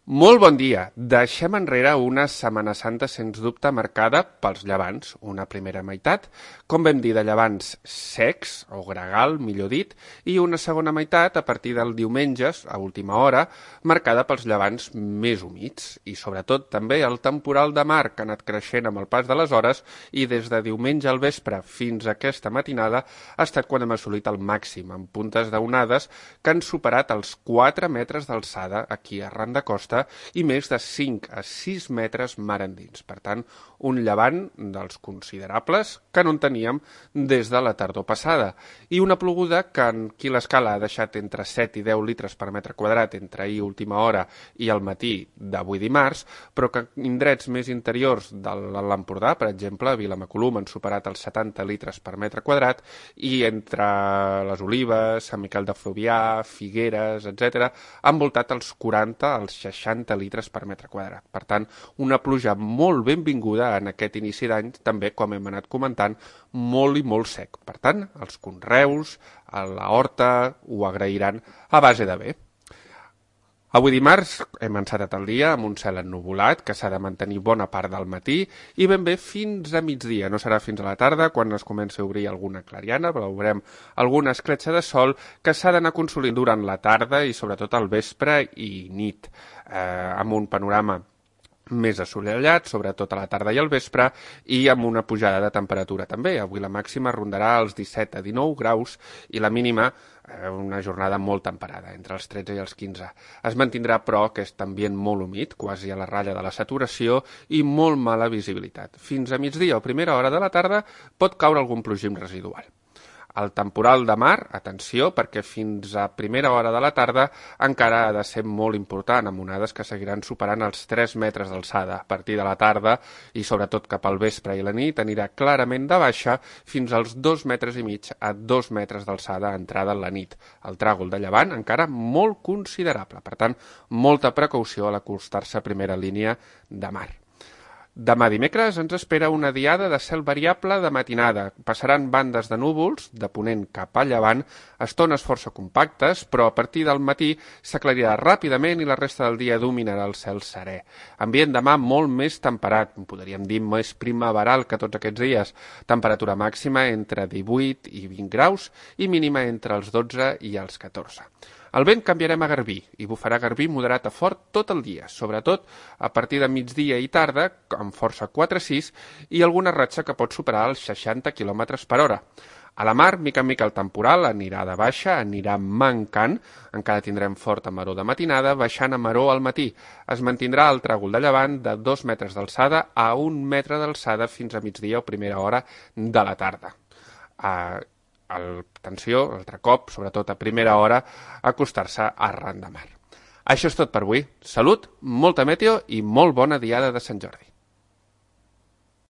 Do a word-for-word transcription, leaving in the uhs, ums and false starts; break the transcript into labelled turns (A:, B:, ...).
A: Molt bon dia. Deixem enrere una Setmana Santa sens dubte marcada pels llevants, una primera meitat, com vam dir, de llevants secs, o gregal, millor dit, i una segona meitat, a partir del diumenges, a última hora, marcada pels llevants més humits, i sobretot també el temporal de mar que ha anat creixent amb el pas de les hores i des de diumenge al vespre fins a aquesta matinada ha estat quan hem assolit el màxim, amb puntes d'onades que han superat els quatre metres d'alçada aquí arran de costa i més de cinc a sis metres mar endins. Per tant, un llevant dels considerables que no en teníem des de la tardor passada. I una ploguda que en qui l'escala ha deixat entre set i deu litres per metre quadrat entre ahir última hora i el matí d'avui dimarts, però que en indrets més interiors de l'Empordà, per exemple, a Vilamacolum han superat els setanta litres per metre quadrat i entre les Olives, Sant Miquel de Fluvià, Figueres, etcètera, han voltat els quaranta als seixanta litres per metre quadrat. Per tant, una pluja molt benvinguda en aquest inici d'any, també, com hem anat comentant, molt i molt sec. Per tant, els conreus, a la horta, ho agrairan a base de bé. Avui dimarts hem encetat el dia amb un cel ennuvolat que s'ha de mantenir bona part del matí i ben bé fins a migdia. No serà fins a la tarda quan es comença a obrir alguna clariana, però veurem alguna escletxa de sol que s'ha d'anar consolint durant la tarda i sobretot al vespre i nit, eh, amb un panorama més assolellat, sobretot a la tarda i al vespre, i amb una pujada de temperatura també. Avui la màxima rondarà els disset a dinou graus i la mínima eh, una jornada molt temperada, entre els tretze i els quinze. Es mantindrà, però, aquest ambient molt humit, quasi a la ratlla de la saturació, i molt mala visibilitat. Fins a migdia o primera hora de la tarda pot caure algun plogim residual. El temporal de mar, atenció, perquè fins a primera hora de la tarda encara ha de ser molt important, amb onades que seguiran superant els tres metres d'alçada. A partir de la tarda, i sobretot cap al vespre i la nit, anirà clarament de baixa fins als dos metres i mig a dos metres d'alçada entrada en la nit. El tràgol de llevant encara molt considerable, per tant, molta precaució a l'acostar-se a primera línia de mar. Demà dimecres ens espera una diada de cel variable de matinada. Passaran bandes de núvols, de ponent cap a llevant, estones força compactes, però a partir del matí s'aclarirà ràpidament i la resta del dia dominarà el cel serè. Ambient demà molt més temperat, podríem dir més primaveral que tots aquests dies. Temperatura màxima entre divuit i vint graus i mínima entre els dotze i els catorze. El vent canviarem a garbí i bufarà garbí moderat a fort tot el dia, sobretot a partir de migdia i tarda, amb força quatre a sis, i alguna ratxa que pot superar els seixanta quilòmetres per hora. A la mar, mica en mica el temporal anirà de baixa, anirà mancant, encara tindrem forta maror de matinada, baixant a maror al matí. Es mantindrà el tràgol de llevant de dos metres d'alçada a un metre d'alçada fins a migdia o primera hora de la tarda. Uh, el, atenció, altre cop, sobretot a primera hora, acostar-se arran de mar. Això és tot per avui. Salut, molta meteo i molt bona diada de Sant Jordi.